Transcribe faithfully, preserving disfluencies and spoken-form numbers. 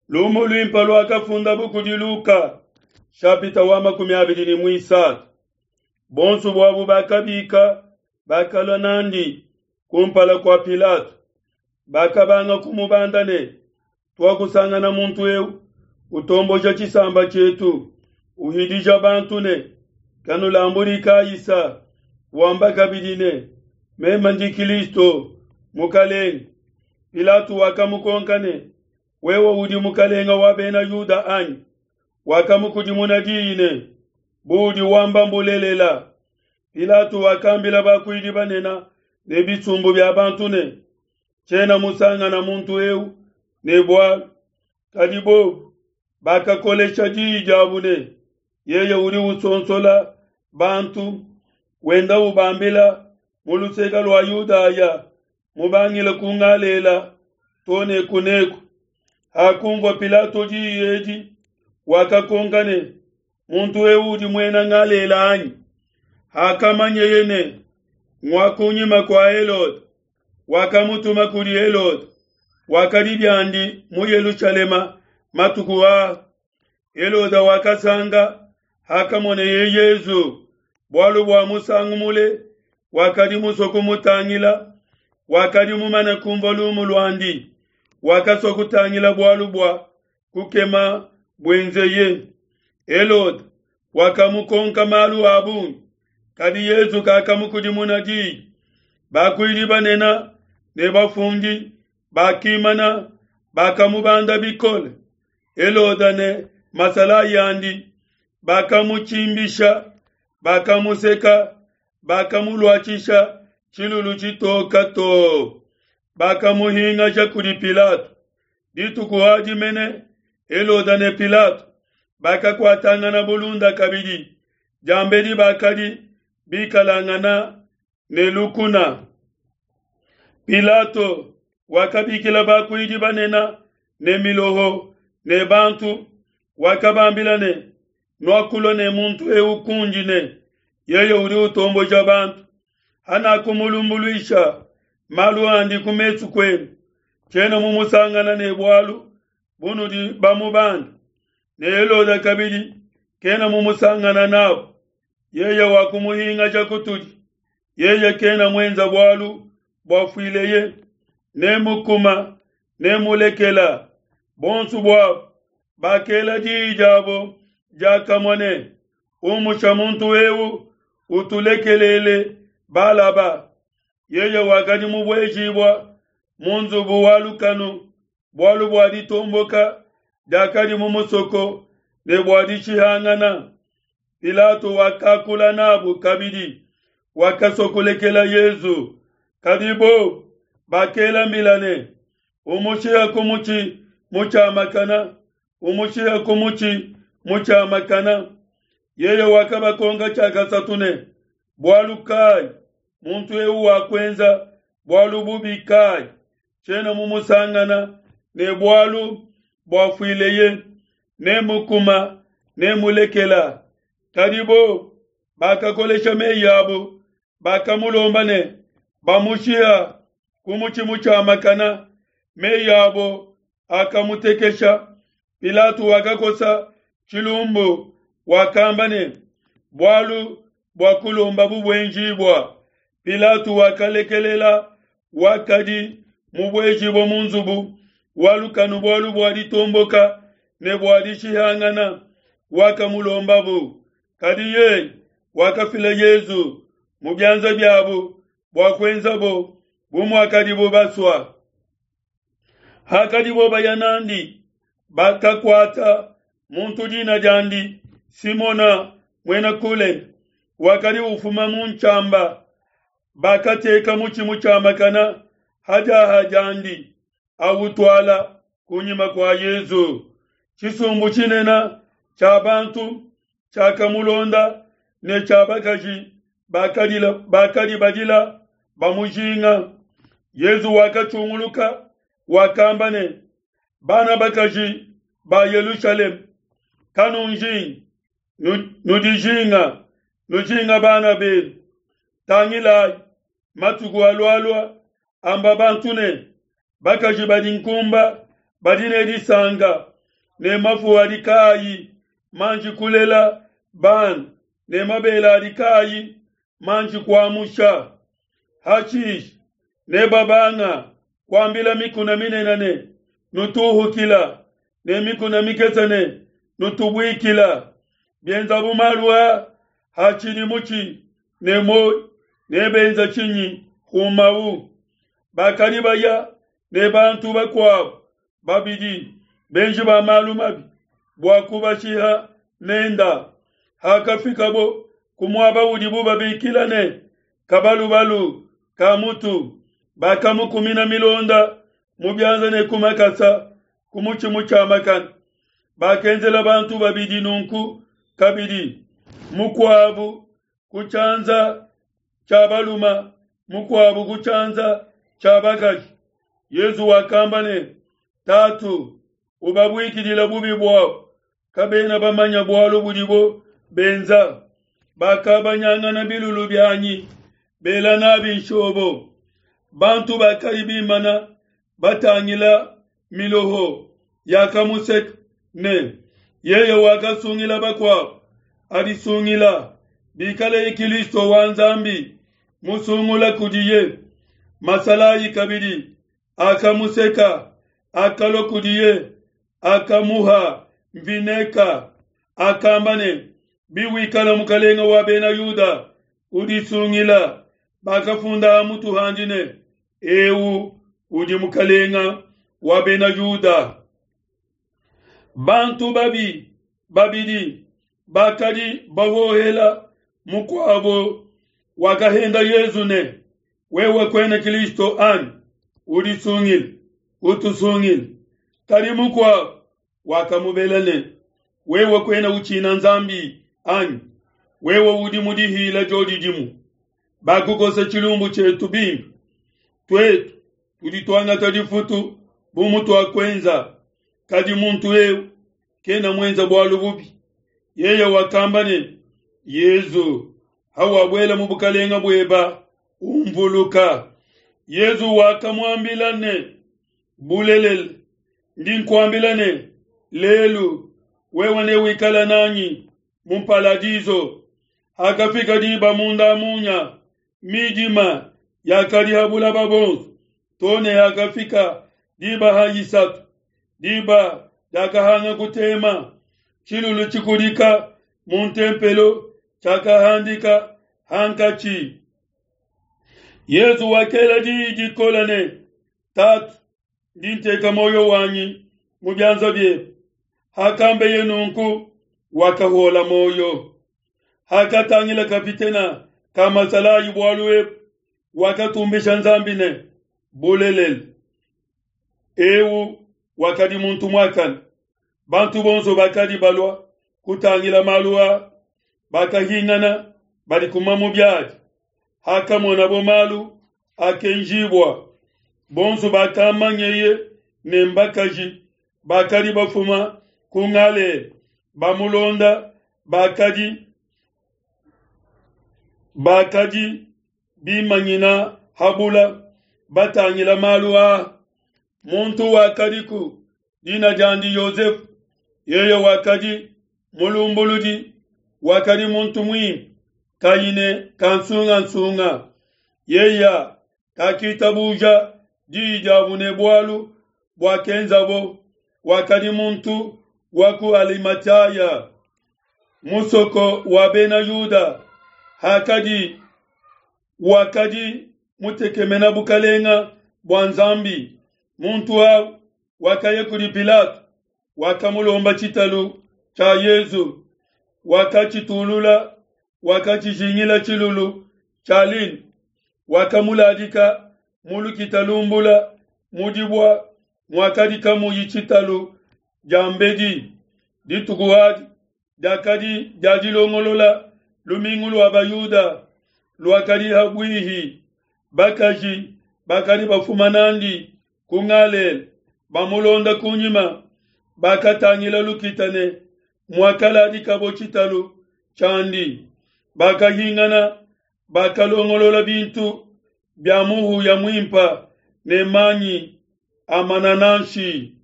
Lumu luimpe luakafundabu kudi Luka, shapita wa makumi abidi ne muisatu. Bonso buabu bakabika bakalua nandi kumpala kua Pilato. Bakabanga kumubanda ne, tuakusangana muntu eu utomboja tshisamba tshietu, uhidija bantu ne, kanulambudi Kaisa, wamba kabidi ne, meme ndi Kristo mukalenge. Pilato wakamukonka ne, wewe udi mukalenge wa bena Yuda anyi? Wakamukudimuna diyi ne, buudi wamba mbulelela. Pilato wakambila bakuidi banene ne bisumbu bia bantu ne, tshiena musangana muntu eu ne bualu. Kadi bobu bakakolesha diyi diabu ne, yeye udi usonsola bantu, wenda ubambila mu luseke lua Yudaya, mubangile ku Galela to ne kuneku. Hakunvua Pilato diyi edi, wakakonka ne, muntu eu udi muena Galela anyi? Hakamanyeye ne, ngua kunyima kua Helode, wakamutuma kudi Helode, wakadi biandi mu Yelushalema matuku aa. Helode wakasanga hakamoneye Yezu, bualu bua musangu mule wakadi musue kumutangila, wakadi mumane kumvua lumu luandi, wakasua kutangila bualu bua kukema buenzeye. Helode wakamukonka malu a bungi, kadi Yezu kakamukudimuna diyi. Bakuidi banene ne bafundi bakimana bakamubanda bikole. Helode ne masalayi andi bakamutshimbisha, bakamuseka, bakamuluatshisha tshilulu tshitoka too, bakamuhingaja kudi Pilato. Dituku adi mene Helode ne Pilato bakakuatangana bulunda kabidi, diambedi bakadi bikalangana ne lukuna. Pilato wakabikila bakuidi banene ne miloho ne bantu, wakabambila ne, nuakulua ne muntu eu kundi ne, yeye udi utomboja bantu. Hanakumulumbuluisha malu andi ku mesu kuenu, tshiena mumusangana ne bualu bunudi bamubanda. Ne Helode kabidi kena mumusangana nabu, yeye wakumuhingaja kutudi. Yeye kena muenza bualu buafuileye, ne mukuma ne mulekela. Bonso buabu bakela diyi diabo diakamue ne, umusha muntu eu, utulekelele Balaba. Yeye wakadi mubuejibua mu nzubu wa lukanu bualu bua ditomboka diakadi mu musoko ne bua dishihangana. Pilato wakakula nabu kabidi, wakasua kulekela Yezu. Kadi bobu bakela mbila ne, umushiha ku mutshi mutshiamakana, umushiha ku mutshi mutshiamakana. Yeye wakabakonka tshiakasatu ne, bualu kai muntu eu wakuenza bualu bubi kai? Tshiena mumusangana ne bualu buafuileye, ne mukuma ne mulekela. Kadi bo bakakolesha meyi abu, bakamulomba ne bamushiha ku mutshi mutshiamakana. Meyi abo akamutekesha. Pilato wakakosa tshilumbu, wakamba ne, bualu bua kulomba bubuenjibua. Pilato wakalekelela wakadi mubuejibua mu nzubu wa lukanu bualu bua ditomboka ne bua dishihangana, wakamulombabu. Kadi yeye wakafila Yezu mu bianza biabu bua kuenzabo bu muakadibo basua. Hakadibo baya nandi, bakakuata muntu dina diandi Simona muena Kulene, wakadi ufuma mu ntshiamba. Bakateka mutshi mutshiamakana hadiaha diandi, awutuala kunyima kua Yezu. Tshisumbu tshinene tshia bantu tshiakamulonda ne tshia bakaji bakadi badila bamujinga. Yezu wakatshunguluka, wakamba ne, bana bakaji ba Yelushalema, kanunjingi, nudijinga, nujinga bana benu. Tangilayi, matuku alualua amba bantu ne, bakaji badi nkumba badi ne disanka, ne mafu adi kaayi manji kulela bana, ne mabele adi kaayi manji kuamusha. Hashishe nebabanga kuambila mikuna minene ne, nutuhukila, ne mikuna mikese ne, nutubuikila. Bienzabu malu aa hatshidi mutshi ne muoyo, nebenza tshinyi humau? Bakadi baya ne bantu bakuabo babidi benji ba malu mabi bua kubashiha nenda. Hakafikabo ku muaba udibo babikila ne, Kabalubalu ka mutu, bakamukumina milonda mu bianza ne ku makasa ku mutshi mutshiamakane. Bakenzela bantu babidi nunku kabidi, mukuabu ku tshianza tshia balume, mukuabu ku tshianza tshia bakaji. Yezu wakamba ne, Tatu, ubabuikidile bubi buabo, kabena bamanya bualu budibo benza. Bakabanyangana bilulu bianyi, bela nabi nshobo. Bantu bakadi bimana batangila miloho yakamuseka ne, yeye wakasungila bakuabo, adisungila, bikaleye Kilisto wa Nzambi musungula kudiye. Masalayi kabidi akamuseka, akalua kudiye, akamuha mvineka, akamba ne, biwikala mukalenga wa Bena Yuda, udisungila. Bakafunda ha mutu handi ne, eu udi mukalenga wa Bena Yuda. Bantu babi babidi bakadi bahohela mukuabo wakahenda Yezu ne, wewe kwena Kristo anyi? Udisungile, utusungile. Kadi mukuabo wakamubela ne, wewe kwena utshina Nzambi anyi? Wewe udi mudihila jodidimu. Bakukosa tshilumbu tshietu bimpe, twetu tudi tuangata difutu bu mutuakuenza. Kadi muntu eu kena muenza bualu bubi. Yeye wakamba ne, Yezu, hawabuela mu bukalenga bueba, umvuluka. Yezu wakamuambila ne, bulelela ndi nkuambila ne, lelu wewe newikala nanyi mu paradiso. Hakafika diba munda munya, midima yakadi ha bulaba bonso, to ne hakafika diba ha isatu, diba diakahanga kutema, tshilulu tshikudika mu ntempelo tshiakahandika hankatshi. Yezu wakela diyi dikole ne, Tatu, ndi nteka moyo wanyi mu bianza biebe. Hakambeye nunku, wakahola moyo. Hakatangila kapitena ka masalayi bualu ebu, wakatumbisha Nzambi ne, bulelela, eu wakadi muntu muakane. Bantu bonso bakadi balua kutangila malu a, bakahingana badi kuma mu biadi. Hakamonabo malu akenjibua, bonso bakamanyeye ne mbakaji bakadi bafuma ku Ngalela bamulonda, bakadi bakadi bimanyina habula batangila malu a. Muntu wakadiku dina diandi Yosefu, yeye wakadi mulumbuludi, wakadi muntu muimpe, kayi ne kansungansunga. Yeye kakitabuja diyi diabu ne bualu buakenzabo, wakadi muntu wa ku Alimataya, musoko wa Bena Yuda. Hakadi wakadi mutekemena bukalenga bua Nzambi. Muntu au wakaya kudi Pilato, wakamulomba tshitalu tshia Yezu, wakatshitulula, wakatshijingila tshilulu tshia lin, wakamuladika mu lukita lumbula mu dibua muakadi kamuyi tshitalu diambedi. Dituku adi diakadi dia dilongolola lumingu lua Bayuda luakadi habwihi. Bakaji bakadi bafuma nandi ku Ngalela bamulonda kunyima, bakatangila lukita ne muakaladikabo tshitalu tshiandi. Bakahingana, bakalongolola bintu bia muhuya muimpa ne manyi a manananshi.